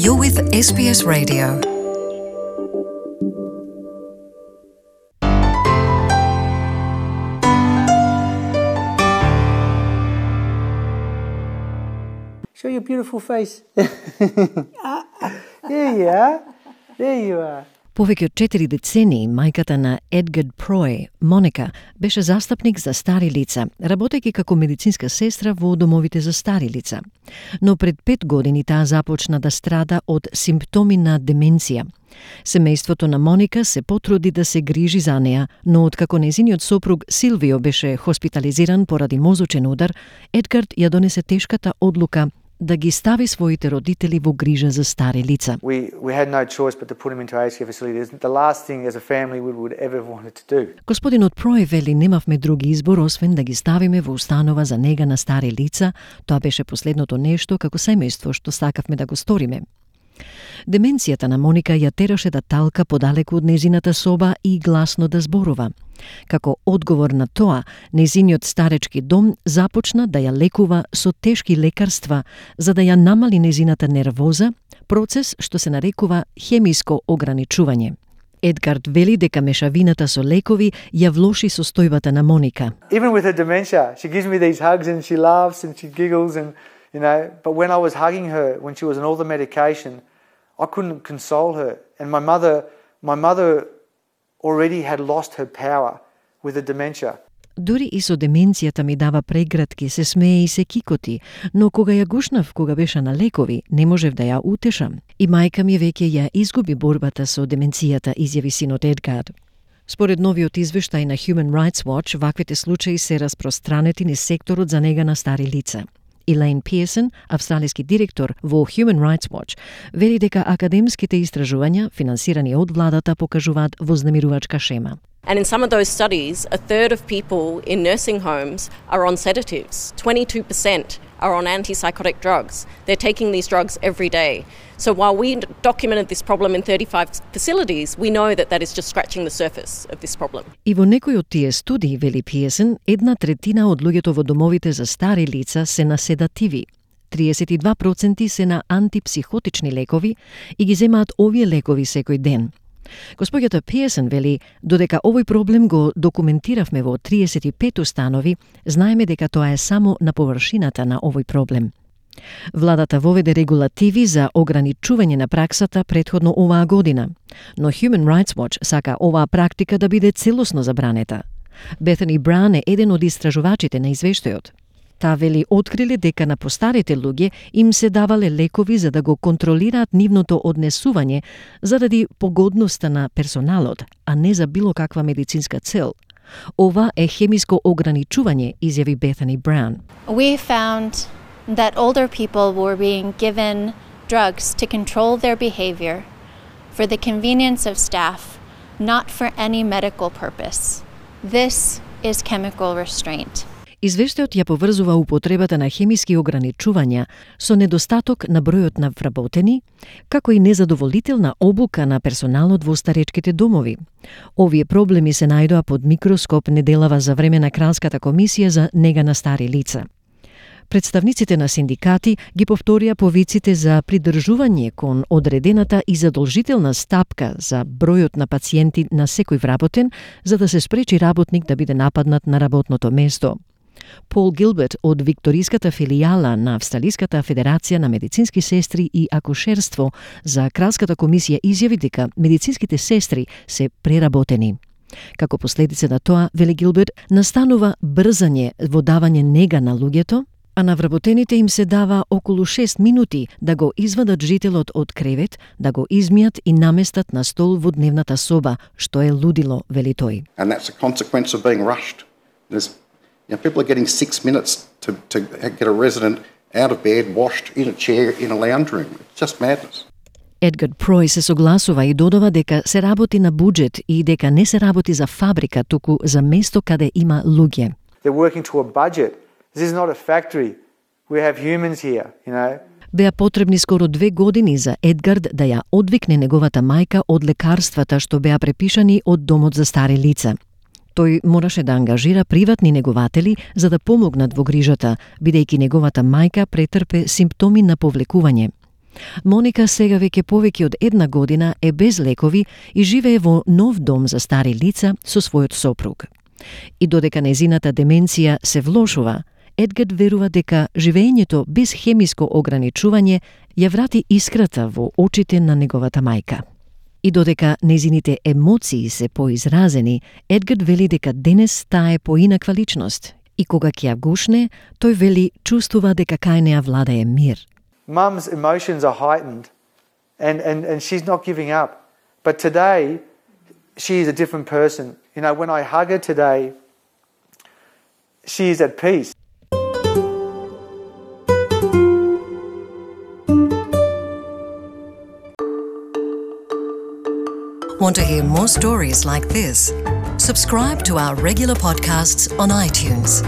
You're with SBS Radio. Show your beautiful face. There you are. There you are. Повеќе од 4 децении, мајката на Едгард Прой, Моника, беше застапник за стари лица, работејќи како медицинска сестра во домовите за стари лица. Но пред 5 години таа започна да страда од симптоми на деменција. Семејството на Моника се потруди да се грижи за неа, но откако незиниот сопруг Силвио беше хоспитализиран поради мозочен удар, Едгард ја донесе тешката одлука да ги стави своите родители во грижа за стари лица. We had no choice but to put him into aged care facilities. The last thing as a family we would ever wanted to do. Господинот Прой вели, немавме други избор освен да ги ставиме во установа за нега на стари лица. Тоа беше последното нешто како семејство што сакавме да го сториме. Деменцијата на Моника ја тераше да талка подалеку од незината соба и гласно да зборува. Како одговор на тоа, незиниот старечки дом започна да ја лекува со тешки лекарства за да ја намали незината нервоза, процес што се нарекува хемиско ограничување. Едгард вели дека мешавината со лекови ја влоши состојбата на Моника. Even with her dementia, she gives me these hugs and she laughs and she giggles and but when I was hugging her when she was on all the medication, I couldn't console her. And my mother already had lost her power with the dementia. Дури и со деменцијата ми дава прегратки, се смее и се кикоти, но кога ја гушнав, кога беше на лекови, не можев да ја утешам. И мајка ми веќе ја изгуби борбата со деменцијата, изјави синот Едгард. Според новиот извештај на Human Rights Watch, ваквите случаи се распространети низ секторот за нега на стари лица. Елейн Пиерсон, австралиски директор во Human Rights Watch, вели дека академските истражувања, финансирани од владата, покажуваат вознемирувачка шема. And in some of those studies, a third of people in nursing homes are on sedatives. 22% are on antipsychotic drugs. They're taking these drugs every day. So while we documented this problem in 35 facilities, we know that that is just scratching the surface of this problem. И во некои од тие студии, вели Пиерсон, 1/3 од луѓето во домовите за стари лица се на седативи. 32% се на антипсихотични лекови и ги земаат овие лекови секој ден. Господјата Пиерсон вели, додека овој проблем го документиравме во 35 установи, знаеме дека тоа е само на површината на овој проблем. Владата воведе регулативи за ограничување на праксата претходно оваа година, но Human Rights Watch сака оваа практика да биде целосно забранета. Бетани Браун е еден од истражувачите на извештајот. Таа вели откриле дека на постарите луѓе им се давале лекови за да го контролираат нивното однесување заради погодноста на персоналот, а не за било каква медицинска цел. Ова е хемиско ограничување, изјави Бетани Браун. We found that older people were being given drugs to control their behavior for the convenience of staff, not for any medical purpose. This is chemical restraint. Извештајот ја поврзува употребата на хемиски ограничувања со недостаток на бројот на вработени, како и незадоволителна обука на персоналот во старечките домови. Овие проблеми се најдоа под микроскоп неделава за време на Кралската комисија за нега на стари лица. Представниците на синдикати ги повторија повиците за придржување кон одредената и задолжителна стапка за бројот на пациенти на секој вработен, за да се спречи работник да биде нападнат на работното место. Пол Гилберт од викториската филијала на Австралиската федерација на медицински сестри и акушерство за Кралската комисија изјави дека медицинските сестри се преработени. Како последица на тоа, вели Гилберт, настанува брзање во давање нега на луѓето, а на вработените им се дава околу 6 минути да го извадат жителот од кревет, да го измијат и наместат на стол во дневната соба, што е лудило, вели тој. And that's a consequence of being rushed. People are getting 6 minutes to get a resident out of bed, washed in a chair in a lounge room. It's just madness. Едгард Прой се согласува и додава дека се работи на буџет и дека не се работи за фабрика, туку за место каде има луѓе. They're working to a budget. This is not a factory. We have humans here, Беа потребни скоро 2 години за Едгард да ја одвикне неговата мајка од лекарствата што беа препишани од домот за стари лица. Тој мораше да ангажира приватни негователи за да помогнат во грижата, бидејќи неговата мајка претрпе симптоми на повлекување. Моника сега веќе повеќе од 1 година е без лекови и живее во нов дом за стари лица со својот сопруг. И додека нејзината деменција се влошува, Едгард верува дека живеењето без хемиско ограничување ја врати искрата во очите на неговата мајка. И додека нејзините емоции се поизразени, Едгард вели дека денес таа е поинаква личност. И кога ќе ја гушне, тој вели чувствува дека кај неа владее мир. Mum's emotions are heightened and she's not giving up. But today, she is a different person. You know, when I hug her today, she is at peace. Want to hear more stories like this? Subscribe to our regular podcasts on iTunes.